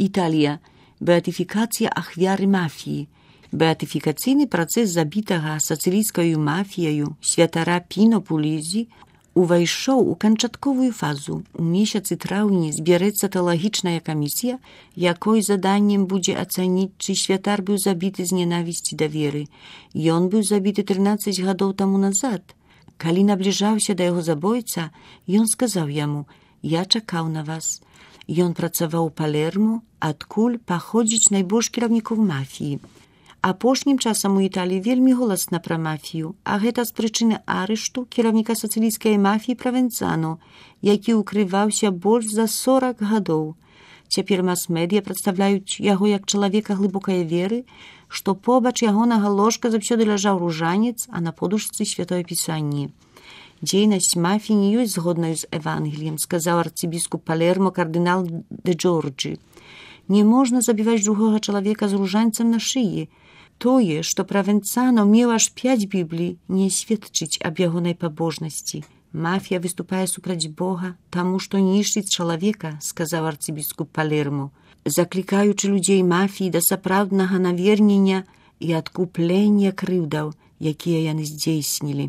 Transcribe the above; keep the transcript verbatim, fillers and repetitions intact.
Італія. Беатыфікацыя ахвяры мафіі. Беатыфікацыйны працэс забітага сацылійскаю мафіяю святара Піно Пулізі увайшоў у канчатковую фазу. У месяцы траўні збярэцца тэалагічная камісія, якой заданнем будзе ацаніць, чы святар быў забіты з ненавісці да веры. Ён быў забіты трынаццаць гадоў таму назад. Калі набліжаўся да яго забойца, ён сказаў яму: «Я чакаў на вас». Ён працаваў у Палермо, адкуль паходзіць найбольш кіраўнікоў мафіі. Апошнім часам у Італіі вельмі голасна пра мафію, а гэта з прычыны арышту кіраўніка сацылійскай мафіі Правенцано, які ўкрываўся больш за сорак гадоў. Цяпер мас-медыя прадстаўляюць яго як чалавека глыбокай веры, што побач ягонага ложка заўсёды ляжаў ружанец, а на подушцы святое пісанне. Дзейнасць мафіі не ёсць згоднаю з Евангеліем, сказаў арцыбіскуп Палермо кардынал де Джорджі. Не можна забіваць другога чалавека з ружанцам на шыі. Тое, што Правенцано меў аж пяць біблій, не сведчыць аб ягонай пабожнасці. Мафія выступае супраць Бога, таму што нішчыць чалавека, сказаў арцыбіскуп Палермо, заклікаючы людзей мафіі да сапраўднага навернення і адкуплення крыўдаў, якія яны здзейснілі.